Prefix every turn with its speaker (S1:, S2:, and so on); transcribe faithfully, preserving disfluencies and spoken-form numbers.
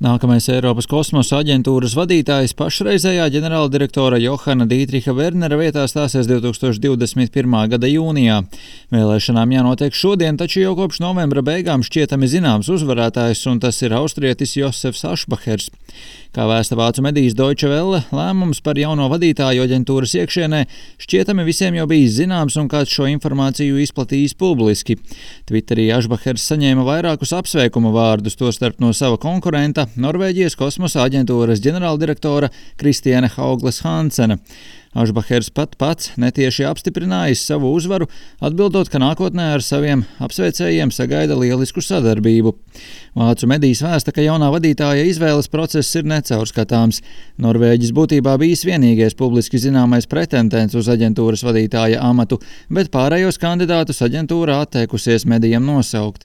S1: Nākamais Eiropas kosmosa aģentūras vadītājs pašreizējā ģenerāldirektora Johana Dītriha Vernera vietā stāsies divtūkstoš divdesmit pirmā gada jūnijā. Vēlēšanām jānotiek šodien, taču jau kopš novembra beigām šķietami zināms uzvarētājs, un tas ir austrietis Josefs Ašbahers. Kā vēsta vācu medijas Deutsche Welle, lēmums par jauno vadītāju aģentūras iekšienē šķietami visiem jau bijis zināms, un kāds šo informāciju izplatījis publiski. Twitterī Ašbahers saņēma vairākus apsveikuma vārdus, tostarp no sava konkurenta, Norvēģijas kosmosa aģentūras ģenerāldirektora Kristiāne Haugles Hansena. Ašbahers pat pats netieši apstiprinājis savu uzvaru, atbildot, ka nākotnē ar saviem apsveicējiem sagaida lielisku sadarbību. Vācu medijas vēsta, ka jaunā vadītāja izvēles process ir necaurskatāms. Norvēģis būtībā bijis vienīgais publiski zināmais pretendents uz aģentūras vadītāja amatu, bet pārējos kandidātus aģentūra atteikusies medijam nosaukt.